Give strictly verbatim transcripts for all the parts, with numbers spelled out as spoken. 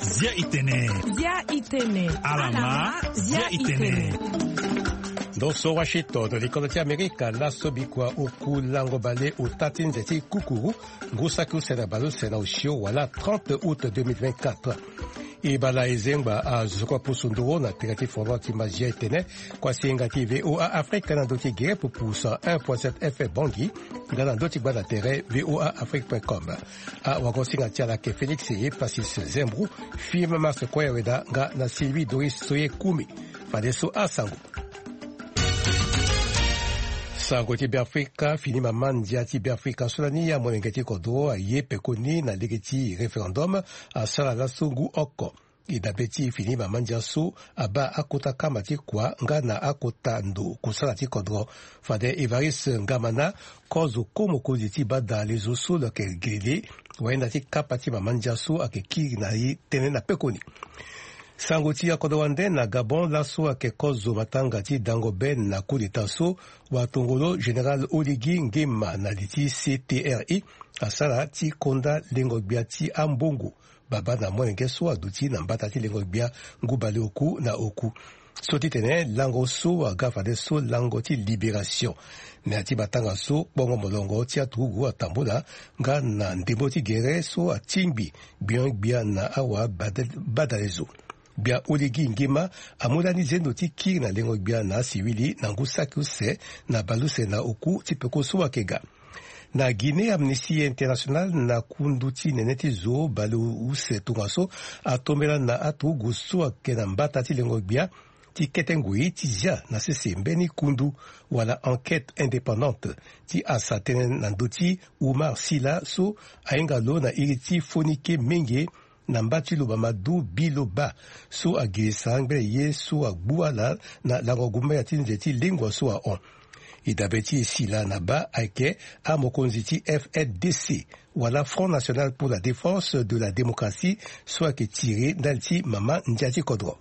Zia itene. Zia itene. Alama, zia itene. Ndo so Washington, likolo ti Amerika, laso bikua oku lango bale ota ti nze ti kukuru, ngu saki use na baleuse na osio wala trente août deux mille vingt-quatre. E bala e zengba azo kua pusu nduru na tere ti fondement ti mazia etene, kua singa ti V O A Afrique na ndo ti gere pupu cent un point sept F M Bangui, nga na ndo ti gbanda tere V O A Afrique point com. Awagosinga ti ala ayeke Félix Epasis Zembro, Firmin Mars Koyaweda nga na Sylvie Doris Soye Kumi. Fadeso asango. Sango ti Beafrika, fini mama ndia ti Beafrika so lani amolenge ti kodro aye pekoni na lege ti référendum asara laso ngu oko. E dabe ti fini mama ndia so abaa akota kama ti kua nga na akota ndo kusala ti kodro. Fade Évariste Ngamana, kozo ko mokonzi ti bada lezo so lo yeke gilili wayenda ti kapa ti mama ndia so ayeke kiri na e tënë na pekoni. Sango ti akodro wande na Gabon, laso ayeke kozo matanga ti dango be na coup d'état so watongolo général Oligui Nguema na li ti C T R I asara ti konda lengo gbia ti ambongo baba na molenge so aduti na mbata ti lengo gbia ngu baleoku na oku. So ti tene lango so aga fadeso lango ti libération. Na ya ti matanga so kpongo molongo ti aturugu atambula nga na ndembo ti gere so atingbi gbiongbia na awa bada-, badalezo. Gbia Oligui Nguema amu lani zendo ti kiri na lengo gbia na asiwili na ngu saki use na baleuse na oku ti peko so ayeke ga. Na Guinée, Amnesty International na kundu ti nene ti zo baleuse tongaso atombela na aturugu so ayeke na mbata ti lengo gbia ti kete ngoi ti zia na sese mbeni kundu wala enquête indépendante ti asa tënë na ndö ti Oumar Sila so ahinga lo na iri ti Fonike Menge na mba ti Loba Madu Biloba so agirisa ngbene ye so agbu ala na lango gumbaya ti nze ti lingua so ahon. E dabe ti e Sila na baa ayeke amokonzi ti F N D C wala Front National pour la Défense de la Démocratie so ayeke tiri ndali ti mama ndia ti kodro.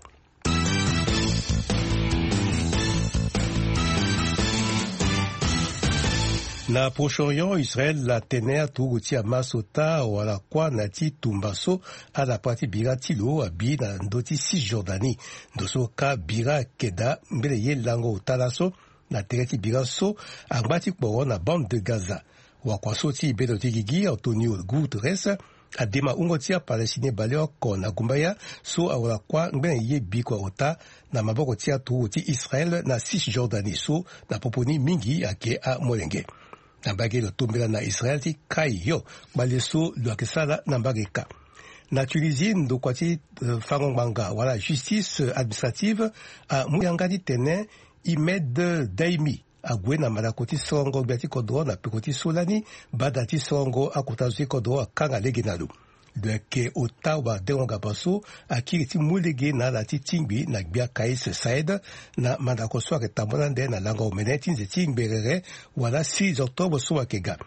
Na Proche-Orient, Israël atene aturugu ti Hamas ota wala kuâ na ya ti tumba so ala pra ti bira ti lo abi na ndö ti Cisjordanie. Ndo so ka bira ayeke daa ngbene ye lango ota laso na tere ti bira so angba ti kporo na bande de Gaza. Wakua so ti bendo ti gigi Antonio Guterres adema wungo ti aPalestinien baleoko na gumbaya so awara kuâ ngbene ye bikua ota na maboko ti aturugu ti Israël na Cisjordanie so na popo ni mingi ayeke amolenge. Na mbage lo tombela na Israël ti kai yo kpale so lo yeke sara na mbage ka. Na Tunisie, ndokua ti, eh, fango ngbanga wala justice administrative amu yanga ti tene Imed Daimi ague na mandako ti sorongo gbia ti kodro na peko ti so lani, bada ti sorongo akota zo ti kodro akanga lege na lo. Lo yeke ota wadengo ngapa so akiri ti mu lege na ala ti tingbi na gbia Kais Saied na mandako so ayeke tambula ande na lango omene ti nze ti ngberere wala six octobre so ayeke ga.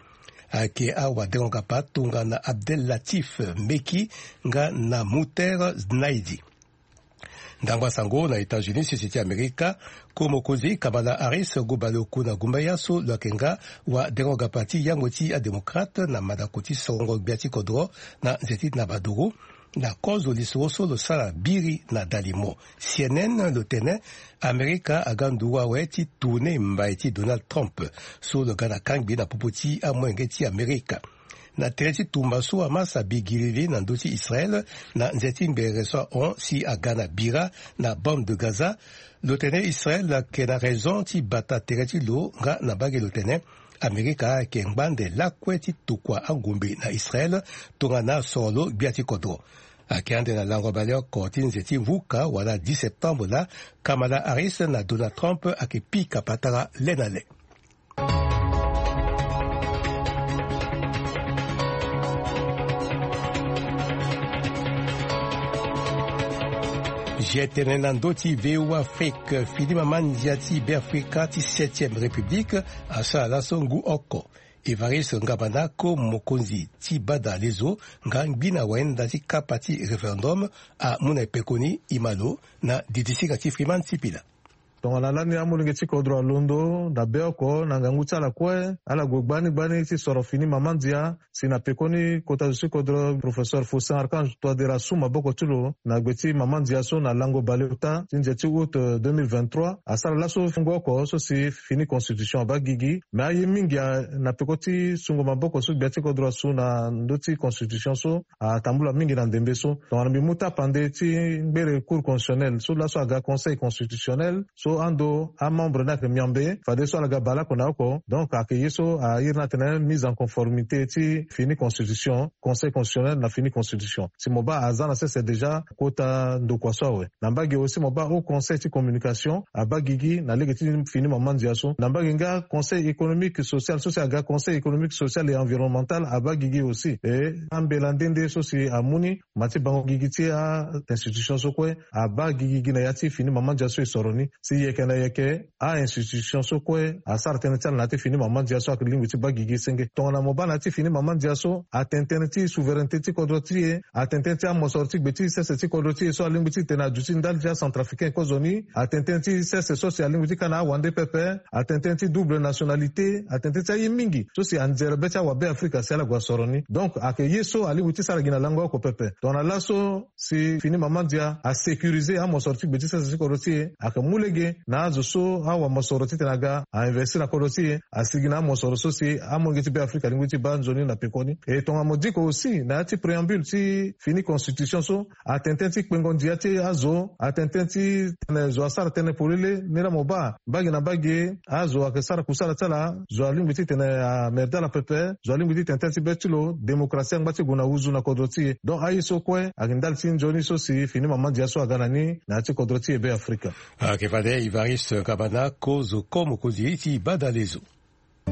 Ayeke awadengo ngapa tongana Abdel Latif Meki nga na Mouter Znaidi. Ndangba sango na États-Unis, sese ti Amerika, ko mokonzi Kamala Harris ngu baleoku na gumbaya so lo yeke nga wadengo ngapa ti yango ti adémocrate na mandako ti sorongo gbia ti kodro na nze ti nabaduru. Na kozo lisoro so lo sara biri na dalimo C N N, lo tene Amerika aga nduru awe ti tourne mbai ti Donald Trump so lo ga na kangbi na popo ti amolenge ti Amerika. Na tere ti tumba so Hamas abi giriri na ndö ti Israël na nze ti ngbere so ahon si aga na bira na bande de Gaza, lo tene Israël ayeke na raison ti bata tere ti lo nga na mbage lo tene Amerika ayeke ngba ande lakue ti tokua angombe na Israël tongana asoro lo gbia ti kodro. Ayeke ande na lango baleoko ti nze ti vuka wala dix septembre laa, Kamala Harris na Donald Trump ayeke pika patara le na le. Zia tene na ndö ti V O A Afrique, fini mama ndia ti Beafrika ti septième République asara laso ngu oko. Évariste Ngamana ko mokonzi ti bada lezo nga ngbi na wayenda ti kapa ti référendum amu na e pekoni e ma lo na didisinga ti Freeman Sipila. Tongana lani amolenge ti kodro alondo na be oko na ngangu ti ala kue, ala gue gbani gbani ti soro fini mama ndia. Si na pekoni kota zo ti kodro, professeur Faustin Archange Touadéra asu maboko ti lo na gbe ti mama ndia so na lango baleota ti ndia ti août deux mille vingt-trois, asara laso fungo oko so si fini constitution abaa gigi. Me aye mingi a- na peko ti sungo maboko so gbia ti kodro asu na ndö ti constitution so atambula mingi na ndembe so. Tongana mbi mu tapande ti ngbere cour constitutionnel so laso aga conseil constitutionnel, so ando amembre ni ayeke miambe fadeso ala ga baleoko na oko. Donc ayeke ye so airi ni atene mise en conformité ti fini constitution, conseil constitutionnel na fini constitution. Si mo baa aza na sese déjà kota ndokua so awe. Na mbage aussi mo baa haut conseil ti communication abaa gigi na lege ti fini mama ndia so. Na mbage nga conseil économique social so si aga conseil économique social et environnemental abaa gigi aussi. E ambela nde nde so si amu ni ma ti bango gigi ti a institution so kue abaa gigi gi na ya ti fini mama ndia so e soro ni. Si yeke na yeke a institution so kue asara tënë ti ala na ya ti fini mama ndia so ayeke lingbi ti baa gigi senge. Tongana mo baa na ya ti fini mama ndia so atene tënë ti souveraineté ti kodro ti e, atene tënë ti amosoro ti gbe ti sese ti kodro ti e so alingbi ti tene aduti ndali ti acentrafricain kozoni, atene tënë ti sese so si alingbi ti ka na awande pepe, atene tënë ti double nationalité, atene tënë ti aye mingi so si anzere be ti awabe afrika si ala gue asoro ni. Donc ayeke ye so alingbi ti sara gi na lango oko pepe. Tongana laso si fini mama ndia asécuriser amosoro ti gbe ti sese ti kodro ti e, ayeke mu lege na azo so awamosoro titene aga ainvestir na kodro ti e, asigi na amosoro so si amolenge ti be afrika alingbi ti baa nzoni na pekoni. E tongana mo diko aussi na ya ti préambule ti fini constitution so, atene tënë ti kpengo ndia ti azo, atene tënë ti tene zo asara tënë polele. Ni laa mo baa mbage na mbage azo ayeke sara kusala ti ala, zo alingbi titene amerde ala pepe, zo alingbi titene tënë ti be ti lo démocratie angba ti gue na wuzu na kodro ti e. Donc aye so kue ayeke ndali ti nzoni so si fini mama ndia so aga na ni na ya ti kodro ti e be afrika. Ayeke fade Evariste Kabana kozo ko mokonzi ti badalezo. E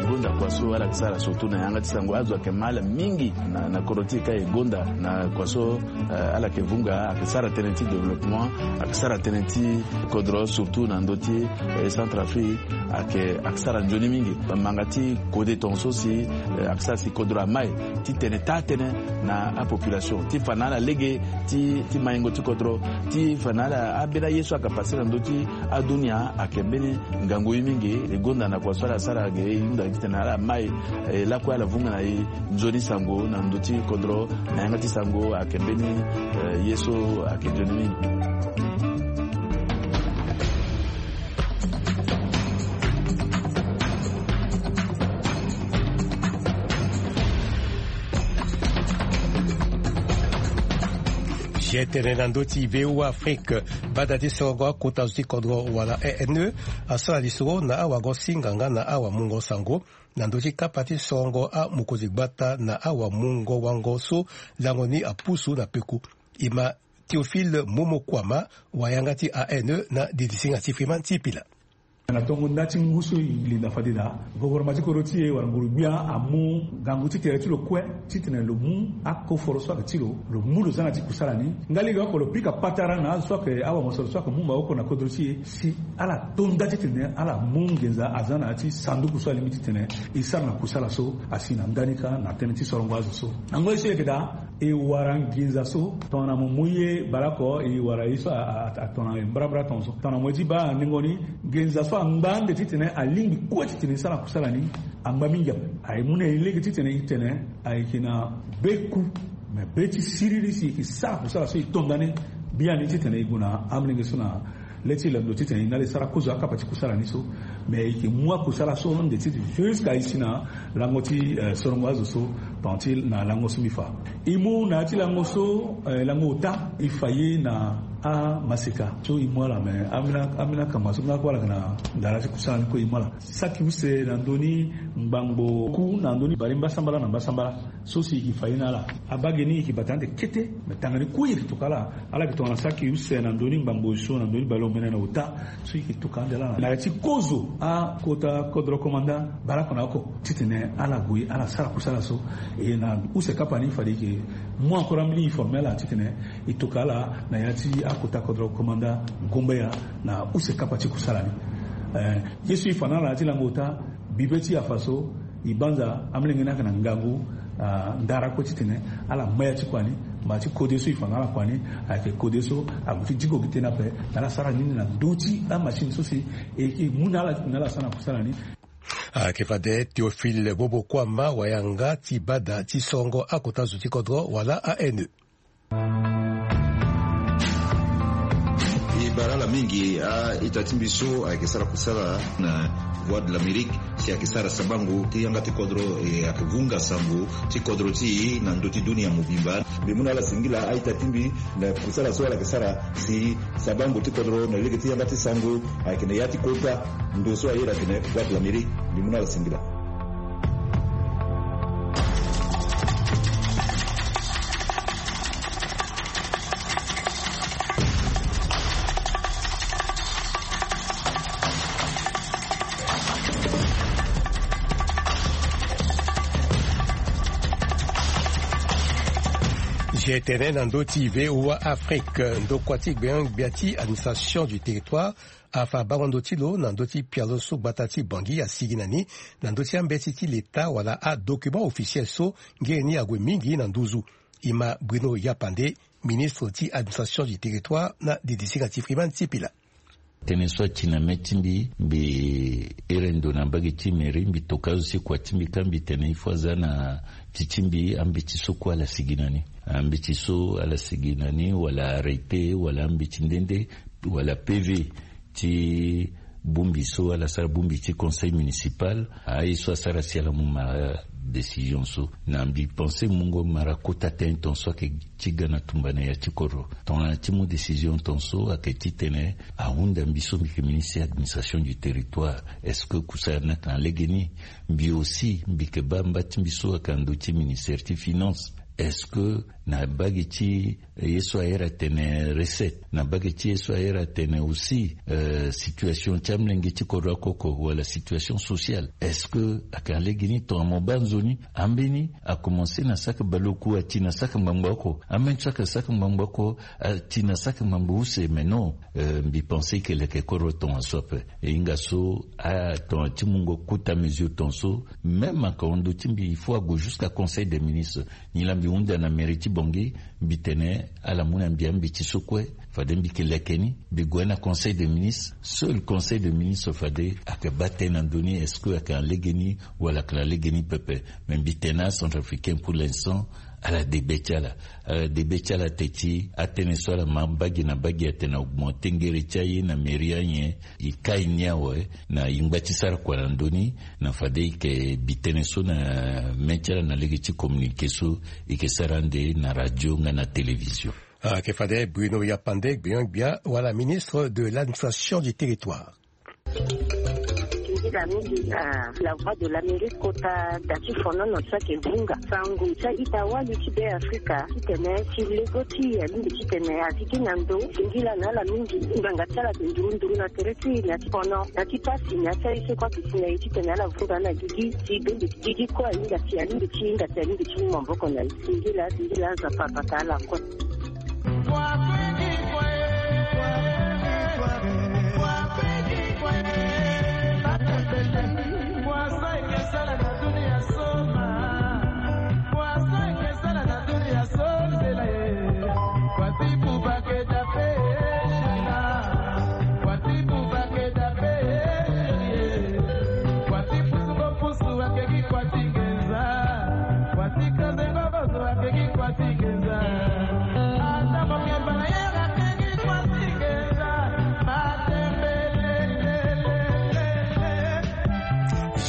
gonda kua so ala yeke sara surtout na yanga ti sango, azo ayeke ma ala mingi na, na kodro ti e ka e gonda na kua so, eh, ala yeke vunga, ayeke sara tënë ti développement, ayeke sara tënë ti kodro surtout na ndö ti, eh, Centrafrique, ayeke, ayeke sara nzoni mingi. Manga ti kode tongaso si, eh, ayeke sara si kodro amai ti tene taa-tënë na apopulation ti fa na ala lege ti, ti maingo ti kodro, ti fa na ala ambeni aye so ayeke pase na ndö ti adunia ayeke mbeni ngangu ye mingi. E gonda na kua so ala sara ge e hunda titene ala mai, e lakue ala vunga na e nzoni sango na ndö ti kodro na yanga ti sango ayeke mbeni, eh, ye so ayeke nzoni mingi. Ge tene na ndö ti V O A Afrique, bada ti sorongo akota zo ti kodro wala E N E asara lisoro na awagosinga nga na awamungo sango na ndö ti kapa ti sorongo amokonzi gbata na awamungo wango so lango ni apusu na peku. E ma Théophile Momo Kouama, wayanga ti A N E na didisinga ti Freeman ti Pila. Na tongo nda ti ngu so e linda fade daa, gouvernement ti kodro ti e wala nguru-gbia amu ngangu ti tere ti lo kue titene lo mu akoforo so ayeke ti lo, lo mu lo za na ya ti kusala ni. Nga lege oko lo pika patara na azo so ayeke awamosoro so ayeke mu maboko na kodro ti e si ala to nda titene ala mu nginza aza na ya ti sanduku so alingbi titene e sara na kusala so asi na ndani kâ na tënë ti sorongo azo so. Na ngoi so e yeke daa, e wara nginza so tongana mo mu ye baleoko e wara ye so a, a, a, tongana e mbrambra tongaso. Tongana mo ye ti baa na ndingo ni, nginza so angba ande titene alingbi kue titene e sara kusala ni, angba mingi ape. Aye mu na e lege titene e tene ayeke na be ku, me be ti siriri si e yeke sara kusala so e to ndani biani titene e gue na amolenge so na le ti lando titene e na ala e sara kozo akapa ti kusala ni so. Me e yeke mu akusala so ande ti jusqu'à e si na lango ti, eh, sorongo azo so pendant ti na lango so mbi fa. E mu na ya ti lango so, eh, lango ota, e fa ye na amaseka so e mu ala, me ambeni, ambeni akama so nga kue ala yeke na ndara ti kusala ni kue e mu ala. Saki use na ndö ni ngbangbo ku na ndö ni bale mbasambala na mbasambala. So si e yeke fa ye na ala, abage ni e yeke bata ande kete, me tanga ni kue e yeke toka ala. Ala yeke tongana saki use na ndö ni ngbangbo so na ndö ni bale omene na ota. So e yeke toka ande laa na ya ti kozo akota kodro komanda baleoko na oko titene ala gue ala sara kusala so. E na use kapa ni fade e yeke mu encore ambeni e forme ala titene e toka ala na ya ti akota kodro komanda Gombeya na use kapa ti kusala ni. Eh, ye so e fa na ala na ya ti lango ota, bibe ti e afa so, e banza amolenge ni ayeke na ngangu, ah, ndara kue titene ala ma ya ti kua ni, Ma ti kode so e fa na ala kua ni, ayeke kode so ague ti diko gi tënë ape na ala sara nini na ndö ti amachine so si e, e mu na ala, na ala sara na kusala ni. Ayeke fade Théophile Bobo Kuama, wayanga ti bada ti sorongo akota zo ti kodro wala A N E. E bara ala mingi a-ita ti mbi so ayeke sara kusala na Voix de l'Amérique, si ayeke sara sabango ti yanga ti kodro, e ayeke vunga sango ti kodro ti e na ndö ti dunia mobimba. Mbi mu na ala singila a-ita ti mbi na kusala so ala yeke sara si sabango ti kodro na lege ti yanga ti sango ayeke na ya ti kota ndo so a iri atene Voix de l'Amérique. Mbi mu na ala singila. G T N na ndö ti V O A Afrique, ndokua ti gbengbia ti administration du territoire afa bango ndö ti lo na ndö ti pialo so gbata ti Bangui asigi na ni, na ndö ti ambeti ti leta wala adocument officiel so ngere ni ague mingi na nduzu. E ma Bruno Yapande, ministre ti administration du territoire na didisinga ti Freeman Sipila. Tënë so ati na mê ti mbi, mbi iri ndo na mbage ti mairie, mbi toka azo ti kua ti mbi ka mbi tene il faut aza na ti ti mbi, ambeti so kue ala sigi na ni. Ambeti so ala sigi na ni, wala arrêté, wala ambeti nde nde, wala P V ti bongbi so ala sara, bongbi ti conseil municipal, aye so asara si ala mu mara décision so. Na mbi pensé mungo mara kota tënë tongaso ayeke ti ga na tumba na ya ti kodro. Tongana ti mu décision tongaso ayeke titene ahunda mbi so mbi yeke ministre ti administration du territoire. Est-ce que kusala ni ayeke na lege ni? Mbi aussi mbi yeke baa mba ti mbi so ayeke na ndö ti ministère ti finance. Est-ce que na mbage ti ye so a iri atene recette, na mbage ti ye so a iri atene aussi, euh, situation ti amolenge ti kodro oko oko, wala situation sociale, est-ce que ayeke na lege ni? Tongana mo baa nzoni, ambeni akomanse na saki baleoku, ati na saki ngbangba oko, ambeni so ayeke saki ngbangba oko, ati na saki ngbangba use. Mais non, euh, mbi pensé e yeke leke kodro tongaso ape. E hinga so, ah, tongana ti mungo kota mesure tongaso, même ayeke na ndö ti mbi, il faut ague jusqu'à conseil des ministres. Nilaa mbi hunda na mairie ti Bangui, mbi tene ala mu na mbi ambeti so kue, fade mbi yeke leke ni, mbi gue na conseil des ministres. Seul conseil des ministres fade ayeke baa tënë na ndö ni, est-ce que ayeke na lege ni wala ayeke na lege ni pepe. Mais mbi tene acentrafricain pour l'instant, ala debe ti ala. Ala debe ti ala te ti atënë so ala ma mbage na mbage atene augmenté ngere ti aye na mairie anyen, e kai ni awe, na e ngba ti sara kua na ndö ni. Na fade e yeke bi tënë so na mê ti ala na lege ti communiqué so e yeke sara ande na radio nga na télévision. Ayeke fade Bruno Yapande, gbinio-gbia wala ministre de l'administration du territoire. Singila mingi na La Voix de l'Amérique kota da ti fonono so ayeke vunga sango ti a-ita wali ti Beafrika titene ti lego ti alingbi titene a sigi na ndo. Singila na ala mingi. Ngbanga ti ala ayeke nduru nduru na tere ti e na ti fono, na ti pasi, na ti aye so kue ayeke si na e titene ala vunga na gigi ti bembe ti gigi kue ahinga si alingbi ti hinga si alingbi ti mu maboko na e. Singila, singila, Nzapa abata ala kue.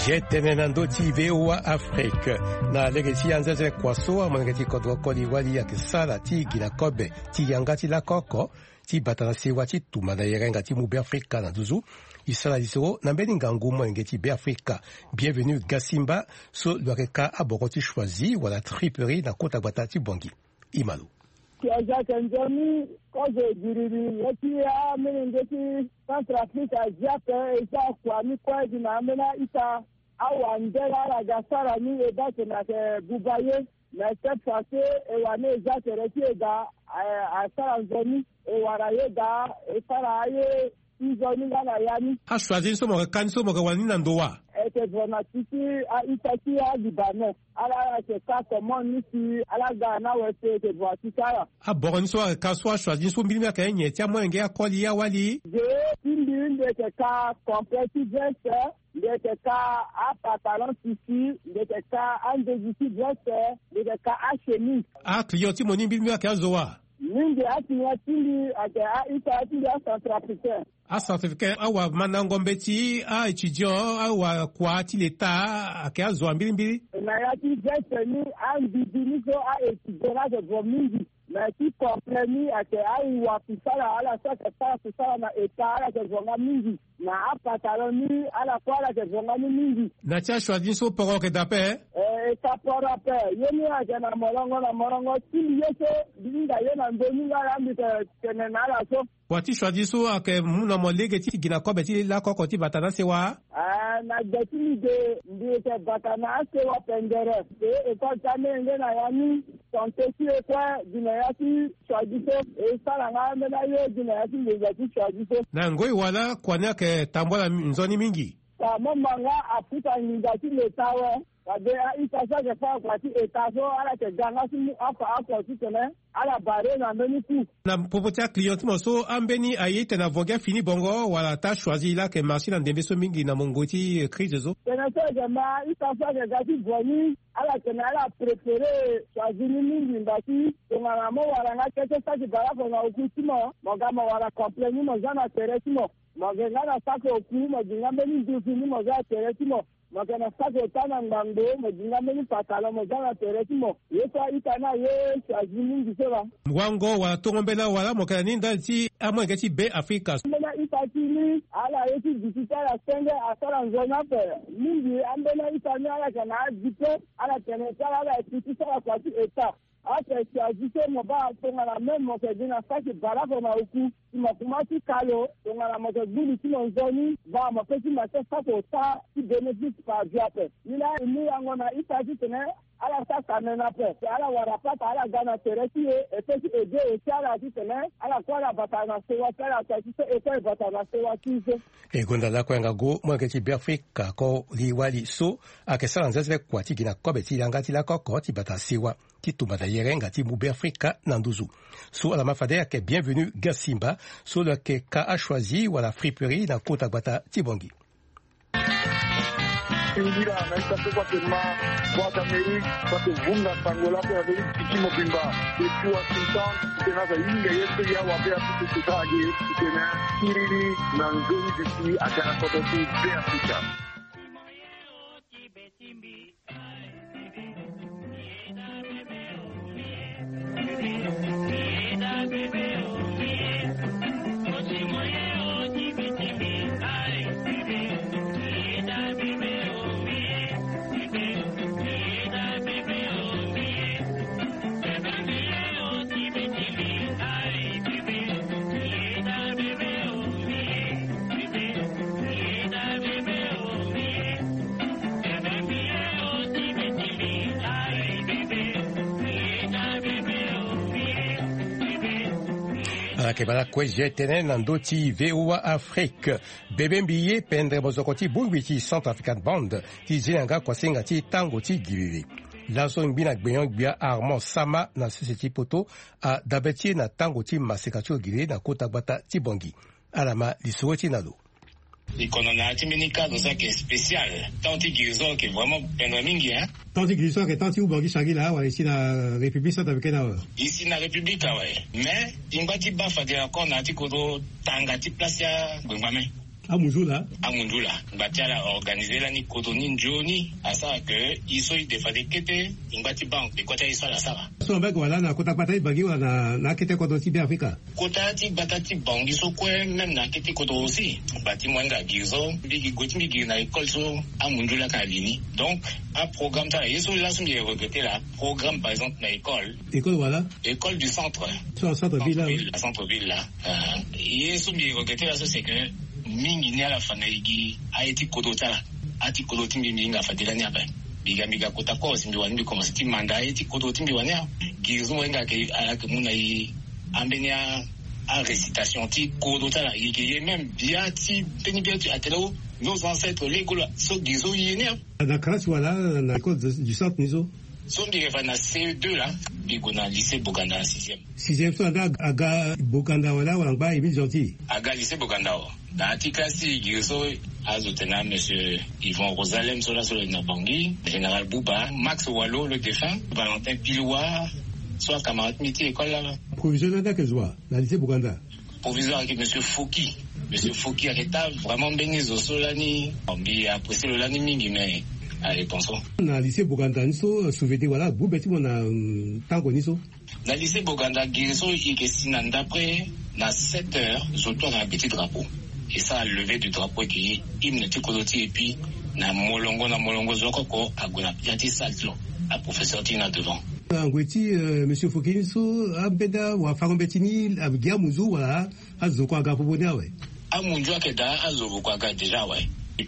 G T N na ndö ti V O A Afrique. Na lege ti anzenze kua so amolenge ti kodro koli wali ayeke sara ti gi na kobe ti yanga ti lako oko ti bata na sewa ti tumba na yerenga ti mu Beafrika na nduzu. E sara lisoro na mbeni ngangu molenge ti Beafrika, Bienvenu Gasimba, so lo yeke ka aboko ti choisi wala triperie na kota gbata ti Bangui. E ma lo. Ti aza ayeke nzoni kozo giriri le ti amolenge ti Centrafrique azi ape, e za kua ni kue gi na ambeni a-ita. Awandela ala ga sara ni, e baa tene ayeke buba ye. Mais cette fois-ci, e wani e za tere ti e daa, eh, asara nzoni, e wara ye daa, e sara aye ti nzoni nga na ya ni. Achoisi ni so mo yeke ka ni so mo yeke wani na ndo wa? E Yeke vo na ti ti a-ita ti alibanon. Ala ala yeke ka comment ni si ala ga na awe so yeke vo na ti ti ala. Aboro ni so ayeke ka so achoisi ni so mbilimbili ayeke nyen ti amolenge akoli awali? Ge ti mbi, mbi yeke ka complet ti veste, mbi yeke ka apantalon tisi, mbi yeke ka andezi ti veste, mbi yeke ka achemise. Aclient ti mo ni mbilimbili ayeke azo wa? Mingi aclient ti mbi ayeke a-ita ti mbi acentrafricain. Acentrafricain awamandango mbeti a-étudiant awakua ti leta ayeke azo wa mbilimbili? Na ya ti veste ni, ambibi ni so a-étudiant ni ayeke vo mingi. Na ya ti complet ni ayeke awa kusala, ala so ayeke sara kusala na eta ala yeke vo nga mingi. Na apantalon ni ala kue ala yeke vo nga ni mingi. Na ti achoisi ni so poro ayeke daa ape? Eh, eta poro ape. Ye ni ayeke na molongo na molongo ti mbi ye so mbi hinga ye na ndö ni nga laa mbi yeke tene na ala so. Wa ti choisi so ayeke mu na mo lege ti gi na kobe ti lakoko ti bata na asewa? Ah, na gbe ti mbi ge mbi yeke bata na asewa pendere. E école ti amolenge na ya ni, santé ti e kue gi na ya ti choisi so. E sara nga ambeni aye gi na ya ti nginza ti choisi so. Na ngoi wala kua ni ayeke tambula nzoni mingi? Ka mo ma nga aputa nginza ti leta awe. Fade a-ita so ayeke fâ kua ti eta so ala yeke ga nga ti mu afa oko titene ala barrer na mbeni coût. Na popo ti aclient ti mo so, ambeni aye titene avo gi afini bongo wala ata choisi laa ayeke marché na ndembe so mingi na mungo ti crise so? Tene so ayeke ma a-ita so ayeke ga ti vo ni, ala tene ala préféré choisi ni mingi ngba ti tongana mo wara nga kete saki bale oko na oku ti mo, mo ga mo wara complet ni mo za na tere ti mo. Mo yeke nga na saki oku, mo gi nga mbeni nduzu ni mo za na tere ti mo. Mo yeke na saki ota na ngbangbo, mo gi nga mbeni pantalon mo za na tere ti mo. Ye so a-ita ni aye choisi mingi so laa. Wango wala tongo mbela wala mo yeke na ni ndali ti amolenge ti Be Afrika? Mbeni a-ita ti ni, ala ye ti gi ti ti ala senge asara nzoni ape. Mingi ambeni a-ita ni ala yeke na adiplôme, ala tene ti ala ala yeke ti sara kua ti eta. Ape si azi so mo baa tongana même mo yeke gi na saki bale oko na oku, si mo kuma ti ka lo tongana mo yeke gbu li ti mo nzoni, baa mo pe ti ma ti saki ota ti bénéfice par vie ape. Ni laa e mu yango na ita titene ala sara tene na ape. Si ala wara pata ala ga na tere ti e, e pe ti aidé aussi ala titene ala kue ala bata na sewa ti ala, ata ti so e kue e bata na sewa ti e so. E gonda lakue yanga go, molenge ti Be Afrika koli wali so ayeke sara nzenzele kua ti gi na kobe ti yanga ti lakoko ti bata sewa ti tumba na yere nga ti mu Be Afrika na nduzu. So ala ma fade ayeke Bienvenu Gasimba, so lo yeke ka achoisi wala friperie na kota gbata ti Bangui. Ngira na ita so kue ake ma Voix d'Amérique, so ake vunga sango laa kue na mbeni piki mobimba depuis Washington, titene aza hinga ye so ya wabe apusu kuta age, titene kiriri na nzoni duti aga na kodro ti Be Afrika. Ala yeke baa lakue tene na ndö ti V O A Afrique. Bebe mbi ye pendere mozoko ti bongbi ti Centrafrican Band ti zi na yanga kuasinga ti tango ti giriri. Laso ngbi na gbenyo-gbia Armand Sama na sese ti poto adabe ti e na tango ti maseka ti lo giriri na kota gbata ti Bangui. Ala ma lisoro ti e na lo. E kono na ya ti mbeni ka lo so ayeke spécial. Temps ti guérison ayeke vraiment pendere mingi, hein. Temps ti guérison ayeke temps ti Oubangui Changila wala e si na République centrafricaine awe? E si na République awe. Mais e ngba ti baa fade encore na ya ti kodro tanga ti place ti angbengba me. Amunzu laa? Amunzu laa. Ngba ti ala organisé lani kodro ni nzoni asara ke e so e de fade kete e ngba ti baa e kue ti aye so ala sara. So na mbage wala na kota gbata ti Bangui wala na, na akete kodro ti Be Afrika? Kota ti gbata ti Bangui so kue, même na akete kodro aussi. Ngba ti mo hinga giri so, mbi gi gue ti mbi giri na école so amunzu laka na li ni. Donc aprogramme ti ala ye so laso mbi regretté laa, programme par exemple na école. École wala? École du centre. So na centre ville laa? Centre ville, centre ville laa. Euh, ye so mbi regretté laso c'est que mingi ni ala fa na e gi aye ti kodro ti ala. Aye ti kodro ti mbi mbi hinga fade lani ape. Mbi ga mbi ga kota kue si mbi wani mbi commencé ti manda aye ti kodro ti mbi wani a. Giri so mo hinga ayeke, ayeke mu na e ambeni a Arécitation ti kodro ti ala, e ke ye même bia ti mbeni bia ti atene o, nos ancêtres lego la so gi so ye ni. Na classe wala na école du centre ni so? So mbi yeke fa na C E deux la, mbi gue na lycée Boganda na sixième. Sixième so anda aga Boganda wala wala ngba Émile Gentil? Aga lycée Boganda o. Na ya ti classe ti gi so azo tene na monsieur Yvon Rosalem so laso lo na Bangui, général Bouba, Max Walo le défunt, Valentin Piloua, so acamarade mbi ti école la. Proviseur ni anda ke zo wa na lycée Boganda? Proviseur ayeke monsieur Foki. Monsieur Foki ayeke ta vraiment mbeni zo so lani. Mbi apprécie lo lani mingi, mais ayeke pension. Na lycée Boganda ni so, souvenir wala gbu be ti mo na tango ni so? Na lycée Boganda gi so e ke si na ndapre na sept heures zo to ayeke na gbe ti drapeau. E sara levée du drapeau, e ke ye hymne ti kodro ti e, et puis na molongo na molongo zo oko oko ague na ya ti salle ti lo, aprofesseur ti e na devant. Na ngoi ti monsieur Foki ni so, ambeni awafango mbeti ni agi amunzu wala azo kue aga popo ni awe? Amunzu ayeke daa, azo kue aga déjà awe.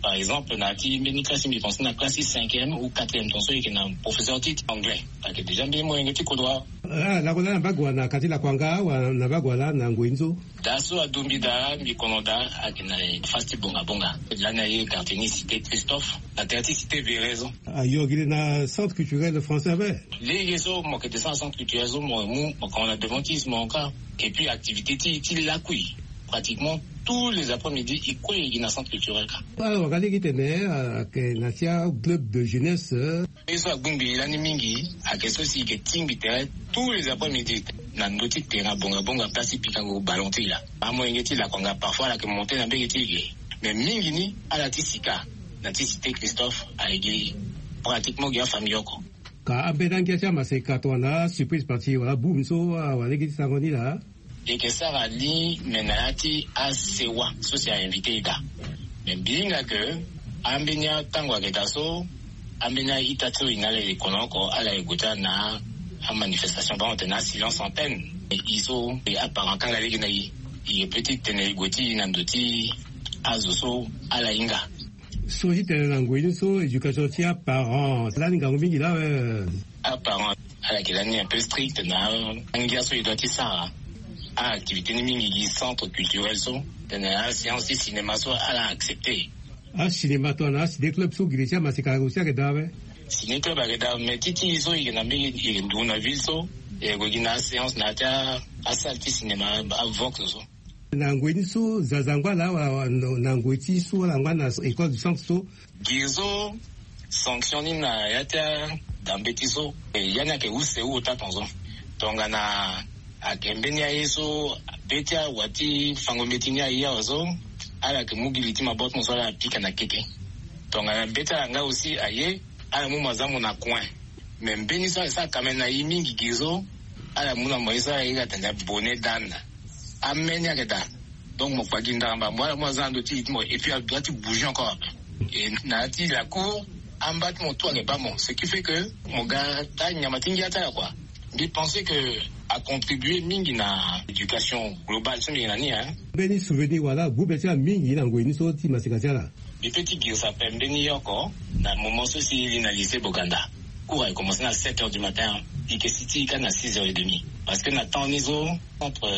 Par exemple na ya ti mbeni classe mbi pense na classe ti cinquième ou quatrième, tongaso e yeke na professeur ti anglais, ayeke déjà mbeni molenge ti kodro. Ah, lakue laa na mbage wala na ka ti lakue anga wala na mbage wala na ngoi ni so? Daa so adombi daa mbi kono daa ayeke na face ti bongabonga. Lani aye quartier ni cité Christophe, na tere ti cité Véret so. Ayo gi le na centre culturel français ape. Lege so mo yeke descendre na centre culturel so, mo mu mo kono na devant ti mo kâ. Et puis activité ti ti lakui, pratiquement tous les après-midi e kue e gi na centre culturel kâ. Awara lege tene ayeke na ti aclub de jeunesse. Ye so agbu mbi lani mingi ayeke so si e yeke tingbi tere tous les après-midi na ndö ti terrain bongabonga, place ti pikango ballon ti e laa. Amolenge ti lakuanga parfois ala yeke monter na mbege ti e ge, mais mingi ni ala ti sika na ti cité Christophe aye gi pratiquement gi afamille oko. Ka ambeni angia ti amaseka tongana surprise party wala boum so awara lege ti sango ni laa? E yeke sara li me na ya ti asewa so si a invité e daa. Me mbi hinga ke ambeni atango ayeke daa so, ambeni a-ita ti so e na ala e kono oko, ala e gue ti ala na amanifestation, bango tene asilence antenne. E so e aparent akanga lege na e, e yeke peut ti tene e gue ti e na ndo ti azo so ala hinga. So ti tene na ngoi ni so éducation ti aparent lani ngangu mingi laa awe. Aparent ala yeke lani un peu strict na angia so e doit ti sara. Aactivité ni mingi gi centre culturel so, tene aséance ti cinéma so ala accepté. Acinéma tongana aciné club so gi le ti amaseka aussi ayeke daa awe? Ciné club ayeke daa, mais ti ti e so e yeke na mbeni e yeke nduru na ville so, e yeke gue gi na aséance na ya ti asalle ti cinéma, avox so. Na ngoi ni so zaza angba laa wala na ngoi ti so wala angba na école du centre so? Gi so sanction ni na ya ti ada mbeti so, e ya ni ayeke use ota tongaso. Tongana ayeke mbeni aye so be ti awa ti fango mbeti ni aye awe so, ala yeke mu gi li ti maboko ti mo so ala pika na keke. Tongana be ti ala nga aussi aye, ala mu mo aza mo na coin. Mais mbeni so ayeke sara kamene na e mingi gi so, ala mu na mo ye so ala iri atene bonnet d'âne. Ameni ayeke daa. Donc mo kpa gi ndaramba mo ala mu aza na ndo ti e ti mo, et puis a doit ti bouger encore. Et na ya ti la cour amba ti mo tout ayeke baa mo, ce qui fait que mo ga taa nyama ti ngia ti ala kua. Mbi pense que a contribuer mingi na éducation globale so mbi yeke na ni, hein. Mbeni souvenir wala gbu be ti ala mingi na ngoi ni so ti maseka ti ala? Mbi peut ti girisa ape mbeni oko na moment so si e li na lycée Boganda. Cours ayeke commencer na sept heures du matin, e yeke si ti e kâ na six heures et demie. Parce que na temps ni so, Centre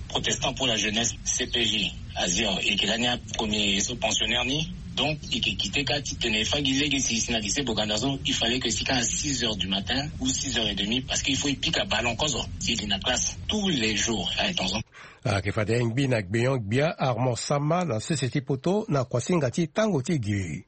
Protestant pour la Jeunesse, C P J, azia e yeke lani apremier so pensionnaire ni. Donc e yeke kite kâ ti tene e fâ gi lege si e si na lycée Boganda so, il fallait que e si kâ na six heures du matin ou six heures et demie, parce que il faut e pika ballon kozo si e li na classe tous les jours. Aye tongaso. Ayeke fade ngbi na gbenyon-gbia Armand Sama na sese ti poto na kuasinga ti tango ti gi.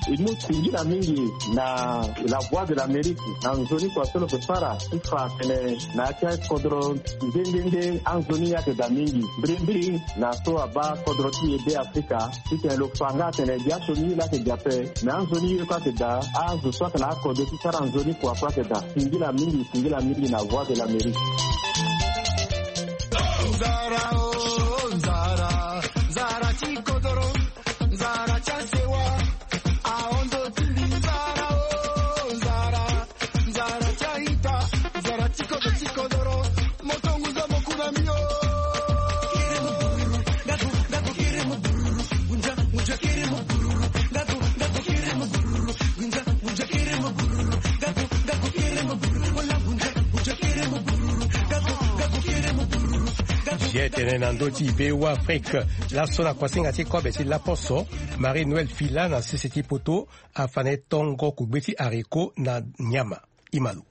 E mu singila mingi na La Voix de l'Amérique na nzoni kua so lo yeke sara ti fa atene na ya ti akodro nde nde nde anzoni ayeke daa mingi mbirimbiri na so abaa kodro ti e Be Afrika. Titene lo fa nga atene gi asioni ye laa ayeke gi ape, me anzoni ye kue ayeke daa. Azo so ayeke na akode ti sara nzoni kua kue ayeke daa. Singila mingi, singila mingi na Voix de l'Amérique. Nzara o, nzara, nzara ti kodoro, nzara ti asewa, ahondo ti mbi nzara o, nzara. Nzara ti a-ita, nzara ti kodro ti kodoro, moto ngunza mo ku na mbi o. Ye tene na ndö ti be wa afrike. Laso na kuasinga ti kobe ti laposo, marie noël fila na sese ti poto afa na e tongo kugbe ti haricot na nyama. Imalo.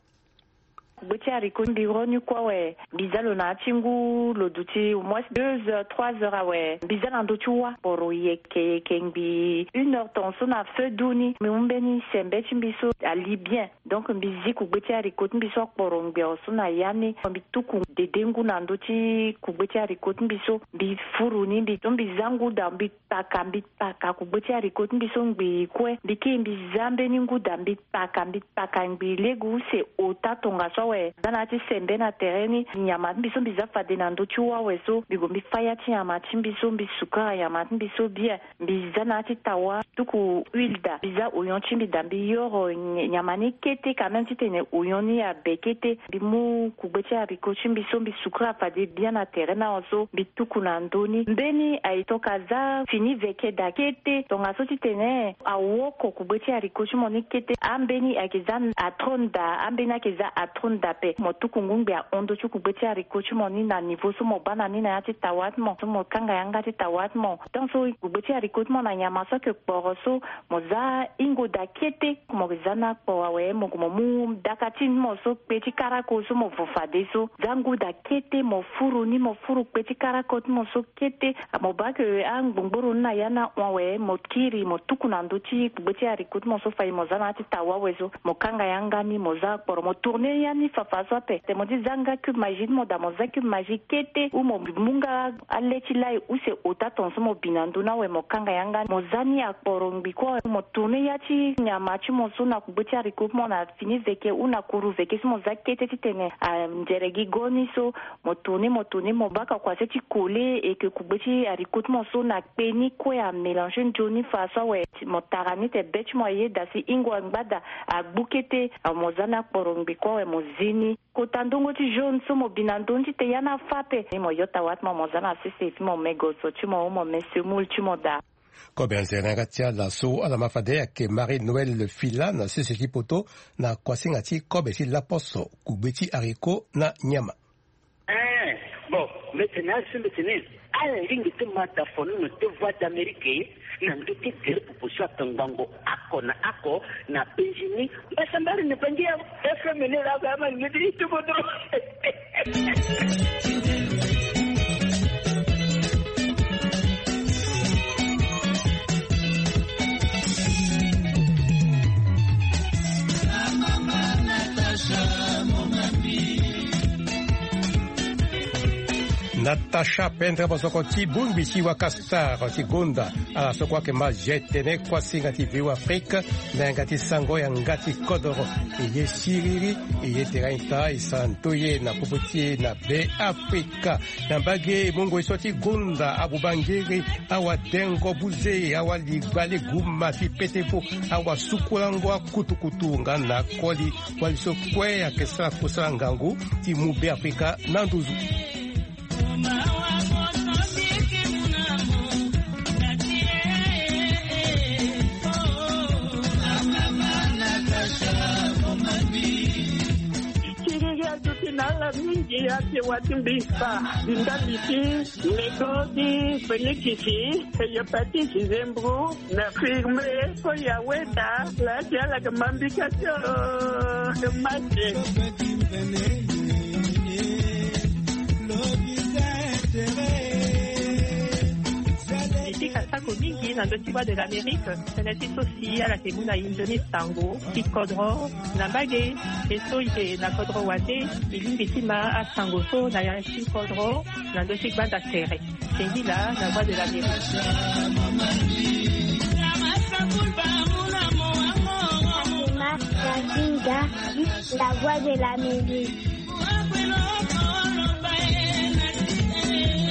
Kugbe ti haricot mbi ro ni kue awe. Mbi za lo na ya ti ngu lo duti au moins deux heures trois heures awe. Mbi za na ndö ti wa poro yeke yeke ngbi une heure tongaso na feu du ni mbi mu mbeni sembe ti mbi so ali bien. Donc mbi zi kugbe ti haricot ti mbi so akporo ngbia so na ya ni mbi tuku dede ngu na ndö ti kugbe ti haricot ti mbi so mbi furu ni mbi so mbi za ngu daa mbi paka mbi paka kugbe ti haricot ti mbi so ngbii kue mbi kiri mbi za mbeni ngu daa mbi paka mbi paka ngbii lege use ota tongaso awe. Za na ya ti sembe na tere ni nyama ti mbi so mbi za fade na ndö ti wa awe so mbi gue mbi fa ya ti nyama ti mbi so mbi sukara nyama ti mbi so bien. Mbi za na ya ti tawa tuku huile daa mbi za oyon ti mbi daa mbi yoro nyama ni kete quand même titene oyon ni abe kete. Mbi mu kugbe ti haricot ti mbi so mbi sukura fade bien na tere ni awe so mbi tuku na ndö ni mbeni aye toka za fini veke daa kete tongaso titene awoko kugbe ti haricot ti mo ni kete ambeni ayeke za atrone daa ambeni ayeke za atrone daa ape mo tuku ngu ngbe ahon ndö ti kugbe ti haricot ti mo ni na niveau so mo baa na ni na ya ti tawa ti mo so mo kanga yanga ti tawa ti mo. Tant so kugbe ti haricot ti mo na nyama so ayeke kporo so mo za hingo daa kete. Mo za ni akpo awe mo gue mo mu daka ti ni mo so kpe ti karako so mo vo fade so za ngu daa kete mo furu ni mo furu kpe ti karako ti mo so kete. Mo baa ke angbongboro ni na ya ni ahon awe mo kiri mo tuku na ndö ti kugbe ti haricot ti mo so fade mo za na ya ti tawa awe so mo kanga yanga ni mo za akporo mo tourne ya ni fafa so ape. Te mo ti za nga cube magie ti mo daa mo za cube magie kete ou mo mu nga ale ti lai use ota tongaso mo bi na ndö ni awe mo kanga yanga ni mo za ni akporo ngbi kue awe mo tourne ya ti nyama ti mo so na kugbe ti haricot ti mo na fini veke ou na kuru veke so mo za kete titene anzere gi go ni so mo tourne mo tourne mo baka kua se ti kole eke kugbe ti haricot ti mo so na kpe ni kue amélange nzoni fa so awe. Mo tara ni te be ti mo ayeda si hingo angba daa agbu kete. Mo za ni akporo ngbi kue awe mo zi ni kota ndongo ti jaune so mo bi na ndö ni ti te ya ni afa ape ni mo yo tawa ti mo mo za na sese ti mo me gozo ti mo ou mo me semoule ti mo daa. Kobe anzere na yanga ti ala so ala ma fade ayeke marie noël fila na sese ti poto na kuasinga ti kobe ti laposo kugbe ti haricot na nyama. Eh, bon, mbetene asu mbetene ala lingbi ti ma da fonono ti voie d'amérique na ndö ti gere popo so atongbango ako na ako na benjini mbasambari na bangi ya fmn lako ama lingbi ti tubodo. Natacha pendre bosoko ti bongbi ti waka star ti gonda ala so kue ayeke ma jetene kuasinga ti viu afrique. Na yanga ti sango yanga ti kodoro eye siriri eye tere ita e santo ye na popo ti e na be afrika. Na mbage mungo e so ti gonda abubangere awadengo buze awaligba leguma ti petefo awasukulango akutukutu nga na koli. Wali so kue ayeke sara kusala ngangu ti mu be afrika na nduzu. Kiriri aduti na ala mingi ate wa ti mbi fa ndali ti mego ti fenikisi hepatite zembro na firme. Ko ya weda la ti ala ke mambika ti o mate. Eti ka sako mingi na ndö ti voie de l'amérique. Tënë ti so si ala yeke mu na inzo ni sango ti kodro na mbage. E so e yeke na kodro wande e lingbi ti ma asango so na ya ti kodro na ndö ti gbanda tere. Sengila na voie de l'amérique. Fatima Kazinga, la voix de l'Amérique.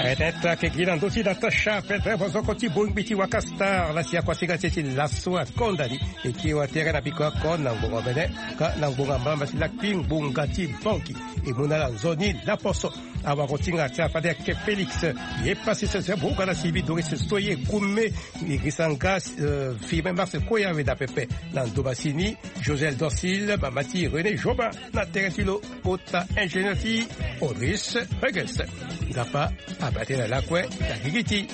Aye tene ti ayeke gi na ndö ti natacha pendre bozoko ti bongbi ti waka star la si akuasinga ti e ti laso akonda ni. E kiri watere na biko ako na ngbonga bene ka na ngbonga mbamba ti lakui ngbonga ti banki. E mu na ala nzoni laposo. Awarotinga ti afade ake Félix. Ye pasi sese boga na sibi Doris Soye Kume. Irisanga firme Mars Koya weda pepe. Na ndoba sini Josel Dorsil, mama ti René Joba. Na tere ti lo kota ingénieur ti Oris Regels. Ngapa abate na lakue na gigi ti